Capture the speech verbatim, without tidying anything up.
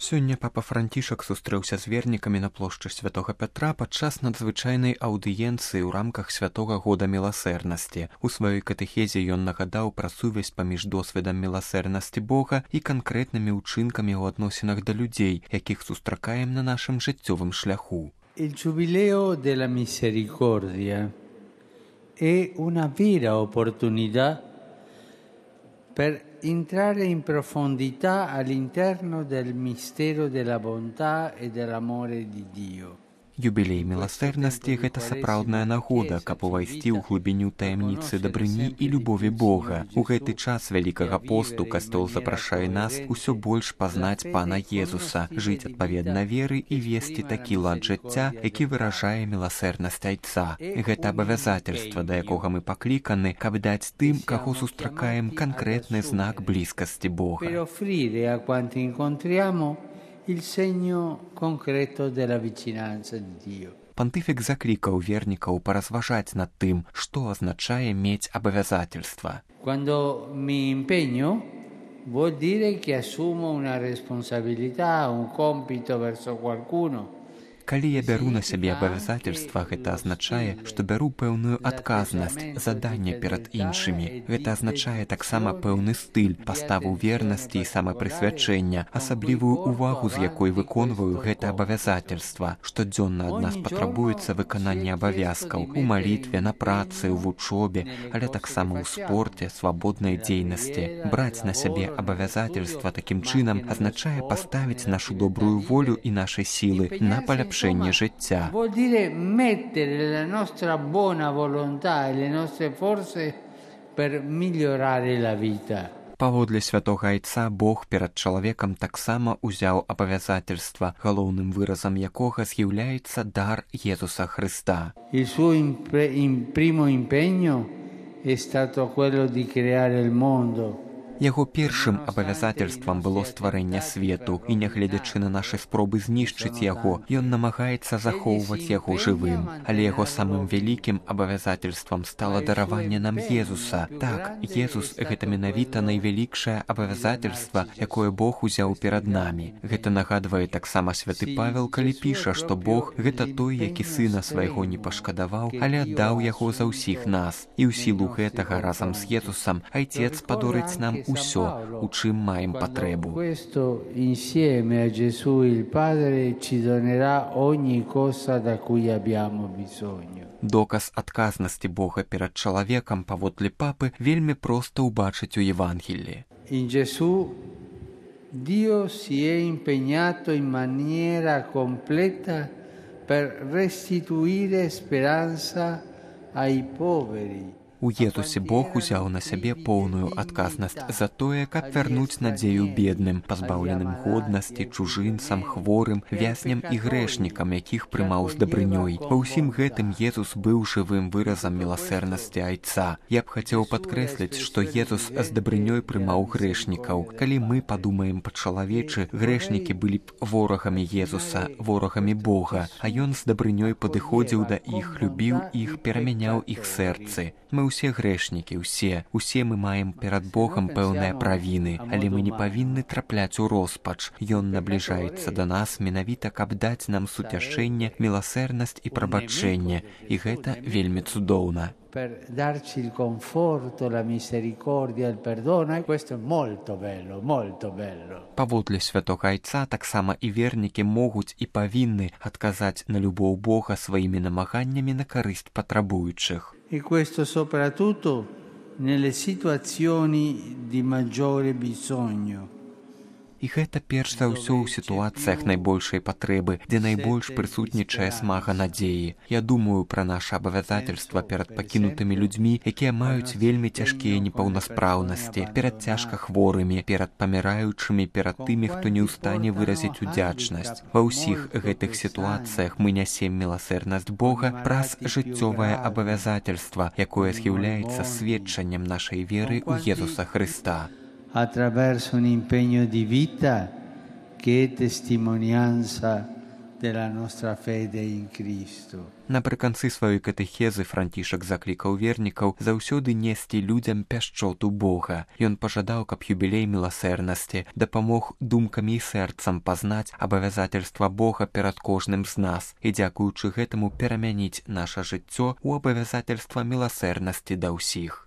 Сёння папа Францішак сустрэўся з вернікамі на плошчы Святога Пятра падчас надзвычайнай аўдыенцыі ў рамках Святога года міласэрнасці. У сваёй катэхезе ён нагадаў пра сувязь паміж досведам міласэрнасці Бога і канкрэтнымі ўчынкамі ў адносінах да людзей, якіх сустракаем на нашым жыццёвым шляху. Il Giubileo della Misericordia è una vera opportunità per entrare in profondità all'interno del mistero della bontà e dell'amore di Dio. Юбілей міласэрнасці – гэта сапраўдная нагода, каб увайсці ў глыбіню таямніцы дабрыні і любові Бога. У гэты час Вялікага посту Касцёл запрашае нас усё больш пазнаць Пана Езуса, жыць адпаведна веры і весці такі лад жыцця, які выражае міласэрнасць Айца. Гэта абавязательства, да якога мы пакліканы, каб даць тым, каго сустракаем, канкрэтны знак блізкасці Бога. Per offrire a quanti incontriamo il segno concreto della vicinanza di Dio. Пантыфік заклікаў вернікаў паразважаць над тым, што азначае мець абавязательства. Quando mi impegno vuol dire che assumo una responsabilità, un compito verso qualcuno. Калі я бяру на сябе абавязательства, гэта азначае, што бяру пэўную адказнасць, заданне перад іншымі. Гэта азначае таксама пэўны стыль, паставу вернасці і самапрысвячэння, асаблівую увагу, з якой выконваю гэта абавязательства. Штодзённа ад нас патрабуецца выкананне абавязкаў у малітве, на працы, у вучобе, але таксама ў спорце, свабоднай дзейнасці. Браць на сябе абавязательства такім чынам азначае паставіць нашу добрую волю і нашай сілы на паляпшэнне життя. Vuol dire mettere la nostra buona volontà e le nostre forze per migliorare la vita. Паводле святога Айца Бог перад чалавекам таксама узяў абавязательства, галоўным выразам якога з'яўляецца дар Езуса Христа. Il suo impre- in primo impegno è stato quello di creare il mondo. Яго першым абавязательствам было стварэнне свету, і нягледзячы на нашы спробы знішчыць яго, ён намагаецца захоўваць яго жывым. Але яго самым вялікім абавязательствам стала дараванне нам Езуса. Так, Езус – гэта менавіта найвялікшае абавязательства, якое Бог узяў перад намі. Гэта нагадвае таксама святы Павел, калі піша, што Бог – гэта той, які сына свайго не пашкадаваў, але аддаў яго за ўсіх нас. І ў сілу гэтага разам з Езусам Айцец падорыць нам усё, у чым маем патрэбу. Questo insieme a Gesù il Padre ci donerà ogni cosa da cui abbiamo bisogno. Доказ адказнасці Бога перад чалавекам паводле папы вельмі проста ўбачыць у Євангелії. In Gesù Dio si è impegnato in maniera completa per restituire speranza ai poveri. У Езусе Бог узяў на сябе поўную адказнасць за тое, каб вярнуць надзею бедным, пазбаўленым годнасці, чужынцам, хворым, вязням і грэшнікам, якіх прымаў з дабрынёй. Ва ўсім гэтым Езус быў жывым выразам міласэрнасці Айца. Я б хацеў падкрэсліць, што Езус з дабрынёй прымаў грэшнікаў. Калі мы падумаем па-чалавечы, грэшнікі былі б ворагамі Езуса, ворагамі Бога, а ён з дабрынёй падыходзіў да іх, любіў іх, перамяняў іх сэрцы. Мы ўсе грэшнікі, усе, усе мы маем перад Богам пэўныя правіны, але мы не павінны трапляць у роспач. Ён набліжаецца да нас менавіта, каб даць нам суцяшэнне, міласэрнасць і прабачэнне, і гэта вельмі цудоўна. Per darci il conforto, la misericordia, il perdono, e questo è molto bello, molto bello. Паводле святога Айца таксама і вернікі могуць і павінны адказаць на любоў Бога сваімі намаганнямі на карысць патрабуючых. E questo soprattutto nelle situazioni di maggiore bisogno. І гэта перш за ўсё ў сітуацыях найбольшай патрэбы, дзе найбольш прысутнічае смага надзеі. Я думаю пра наша абавязательства перад пакінутымі людзьмі, якія маюць вельмі цяжкія непаўнаспраўнасці, перад цяжка хворымі, перад паміраючымі, перад тымі, хто не ў стане выразіць удзячнасць. Ва ўсіх гэтых сітуацыях мы нясем міласэрнасць Бога праз жыццёвае абавязательства, якое з'яўляецца сведчаннем нашай веры ў Езуса Христа. Attraverso un impegno di vita che è testimonianza della nostra fede in Cristo. Напрыканцы сваёй катэхезы Францішак заклікаў вернікаў заўсёды несці людзям пяшчоту Бога. Ён пажадаў, каб юбілей міласэрнасці дапамог думкамі і сэрцам пазнаць абавязательства Бога перад кожным з нас і, дзякуючы гэтаму, перамяніць наша жыццё ў абавязательства міласэрнасці да ўсіх.